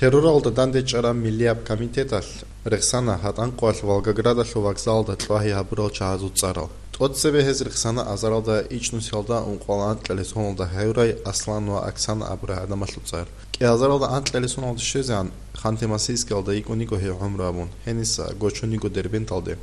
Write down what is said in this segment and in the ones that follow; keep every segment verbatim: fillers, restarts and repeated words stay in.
Терроралда дандечӀараб миллияб комитеталъ рехсана гьатӀанкъоялъ Волгоградалъул вокзалалда кьвагьи гьабурал чагьазул цӀарал. ТӀоцебе гьез рехсана азаралда ичӀнусиялда ункъоялда анкьалесоналда гьавурай Аслан ва Оксана абурай гӀадамалъул цӀар. КӀиазаралда анкьалесоналда щвезегӀан Ханты-Мансийскиялда йикӀун йиго гьей гӀумру абун, гьениса гочун йиго Дербенталде.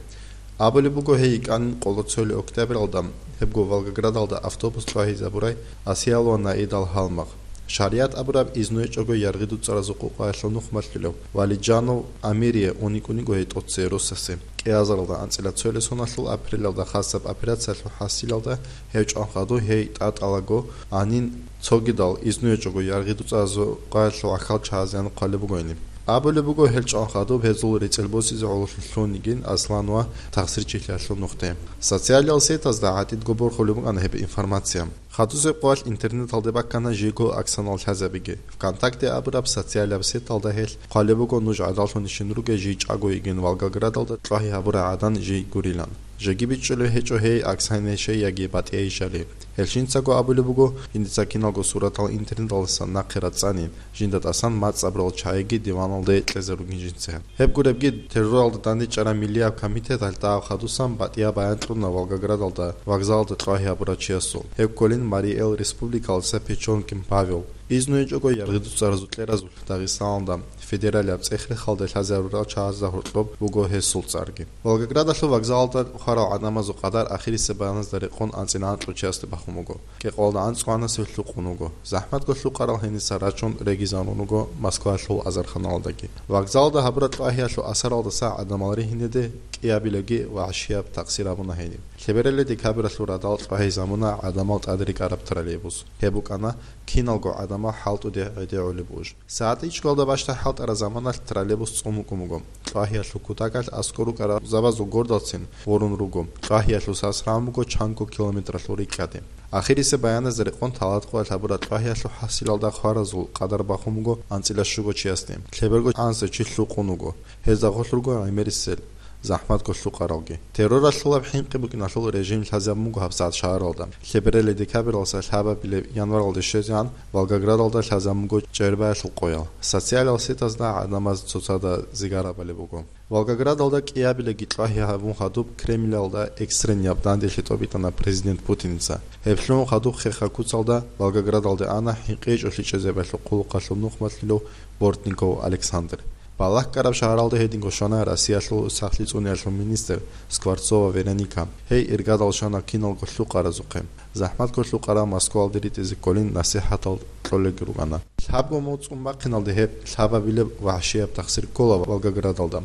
Абулеб буго, гьей йикӀанин къоло цоли октябралда, гьебго Волгоградалда автобус кьвагьизабурай Асиял ва Наидал гьалмагъ. ШаригӀат абураб изну гьечӀого яргъи-дуцӀаразул къукъаялъул нухмалъулев Валиджанов Амирие ун йикӀун йиго гьей тӀоцее росасе. КӀиазаралда анцӀила цойлесоналъул апрелалда хасаб операциялъул хӀасилалда гьев чӀван хадуб гьей тӀатӀалаго гьанин цогидал изну гьечӀого яргъи-дуцӀаразул къукъаялъул гӀахьал чагьазеян хъвалеб бугони. Абулеб буго, гьел чӀван хадуб гьезул рецӀел босизе гӀололъун лъун йигин Аслан ва тахсирчилъиялъул нухде. Социалал сетазда гӀатӀидго борхулеб букӀана гьеб информация. Хадусеб къоялъ интернеталде баккана жийго Оксанал лъазабиги. ВКонтакте абураб социалаб сеталда гьелъ хъвалеб буго нуж гӀадаллъунищин ругел жий чӀаго йигин Волгоградалда кьвагьи гьабурай гӀадан жий гурилан. Жеги бичӀчӀулеб гьечӀо гьей Оксанайищай яги БатӀияйищали. Гьел жинцаго абулеб буго, жиндица киналго суратал интернеталдасан нахъе рацӀцӀани, жинда тӀасан мацӀ абурал чагӀиги диваналде кьезе ругин жинца. Гьеб гуребги, терроралда дандечӀараб миллияб комитеталъ дагьаб хадусан батӀияб баян кьуна Волгоградалда вокзалалда кьвагьи гьабурав чиясул. Гьеб кколин Марий Эл Республикалдаса Печенкин Павел. Изну гьечӀого яргъи-дуцӀаразул кьеразулъ Дагъистаналда федералияб цӀех-рехалде лъазарурал чагӀазда гьоркьоб буго гьесул цӀарги. Волгоградалъул вокзалалда хварал гӀадамазул къадар ахирисеб баяназда рекъон анцӀила анкьго чиясде бахун буго. Кьекъоялда анцӀго гьанасев лъукъун вуго. ЗахӀматго лъукъарал гьениса рачун регизарун руго Москваялъул азарханалдаги. Вокзалалда гьабураб кьвагьиялъул асаралдаса гӀадамал ригьинеде кӀиабилебги вагӀшияб такъсир гьабуна гьениб. Лъебералде декабралъул радал кьвагьизабуна гӀадамал тӀадрекӀараб троллейбус. Гьеб букӀана киналго гӀадамал хӀалтӀуде гӀедегӀулеб буж. СагӀат ичӀго бащдаб хӀалтӀараб заманалъ троллейбус цӀун вукӀун буго. Кьвагьиялъул кутакалъ аскӀор рукӀараб зобазул гордалцин гъурун руго. Кьвагьиялъул сас рагӀун буго чанго километралъул рикӀкӀаде. Ахирисеб баяназда рекъон талатӀкъоялъ гьабураб кьвагьиялъул хӀасилалда хваразул къадар бахун буго анцӀила щуго чиясде. Лъеберго анцӀила чи лъукъун вуго. Гьезда гъолъ руго гӀемерисел, захӀматго лъукъаралги. Терроралъулаб хӀинкъи букӀиналъул режим лъазабун буго гьабсагӀат шагьаралда. Лъебералде декабралдаса лъабабилеб январалде щвезегӀан Волгоградалда лъазабун буго чӀербаялъул къоял. Социалал сетазда гӀадамаз цоцазда зигарабали буго. Волгоградалда кӀиабилебги кьвагьи гьабун хадуб Кремлалда экстренаб данделъи тӀобитӀана президент Путиница. Гьеб лъугьун хадуб хеха куцалда Волгоградалде ана хӀинкъи гьечӀолъи чӀезабиялъул хъулухъалъул нухмалъулев Бортников Александр. Балагь ккараб шагьаралда гьединго щвана Россиялъул сахлъи цӀуниялъул министр Скворцова Вероника. Гьей иргадал щвана киналго лъукъаразухъе. ЗахӀматго лъукъарал Москвалде ритӀизе кколин насихӀатал кьолелги рукӀана. Лъабго мугӀ цӀун бахъиналде гьеб лъабабилеб вагӀшияб тахсир ккола Волгоградалда.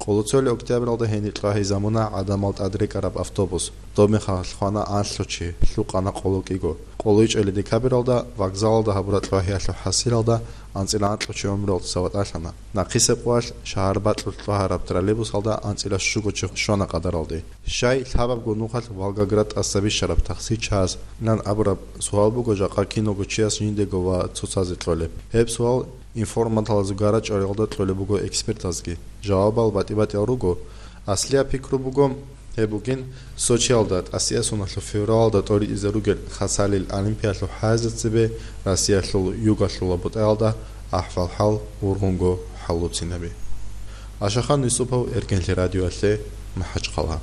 Къоло цоли октябралда гьениб кьвагьизабуна гӀадамал тӀадрекӀараб автобус. Доб мехалъ хвана анлъго чи, лъукъана къоло кӀиго. Къоло ичӀели декабралда вокзалалда гьабураб кьвагьиялъул хӀасилалда анцӀила анкьго чи гӀумруялдаса ватӀалъана. Нахъисеб къоялъ шагьар бакьулъ кьвагьараб троллейбусалда анцӀила щуго чи щвана къадаралде. Щай лъабабго нухалъ Волгоград тӀаса бищараб тахсир чагӀаз нан абураб суал буго жакъа киналго чияс жиндего ва цоцазе кьолеб. Гьеб суал информаталазул гара-чӀвариялда кьолеб буго экспертазги. Жавабал батӀи-батӀиял руго. Аслияб пикру буго, гьеб бугин Сочиялда тӀасиясуналъул февралалда тӀоритӀизе ругел хасалил олимпиялъул хӀайза цебе Россиялъул югалъула бутӀаялда ахӀвал-хӀал ургъунго хӀаллуцинаби. Ашахан Юсупов, Эркенлъи радиоялъе, МахӀачхъала.